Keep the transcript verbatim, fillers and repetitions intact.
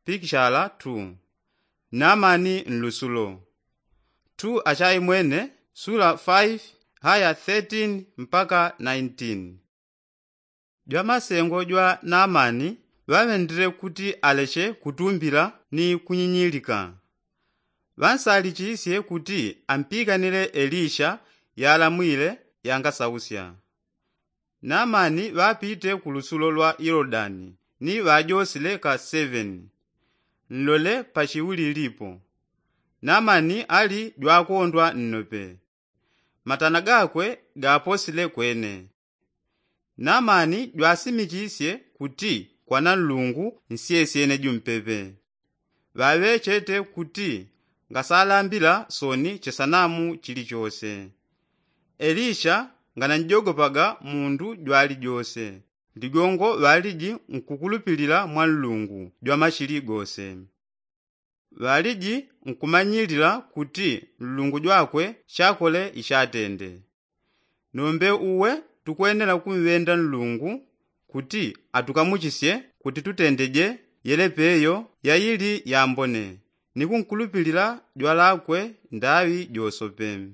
Pikishala tu. Namani nlusulo. Tu achaimwene sula faifi haya thirteen mpaka nineteen. Jwamasengo jwa namani ŵaŵendile kuti aleche kutumbila ni kunyinyilika. Ŵansalichisye kuti ampikanile elisha yalamwile yangasausya. Namani ŵapite ku lusulo lwa yolodani ni ŵajosile ka seveni. Nlole pachiwulilipo. Namani ali jwakondwa nnope. Matana gakwe gaposile kwene. Namani jwasimichisye kuti kwana nlungu nsyesyene jumpepe. Ŵaŵechete kuti ngasalambila soni chisanamu chilichose. Elisha ngananjogopaga mundu jwalijose. Ligongo ŵaliji nkukulupilila mwa nlungu jwamachili gose. Ŵaliji nkumanyilila kuti nlungu jwakwe chakole ichatende. Nombe uwe tukwenela kumwenda nlungu kuti atukamuchisye kuti tutendeje yelepeyo yayili yambone ni kunkulupilila jwalakwe ndaŵi josope.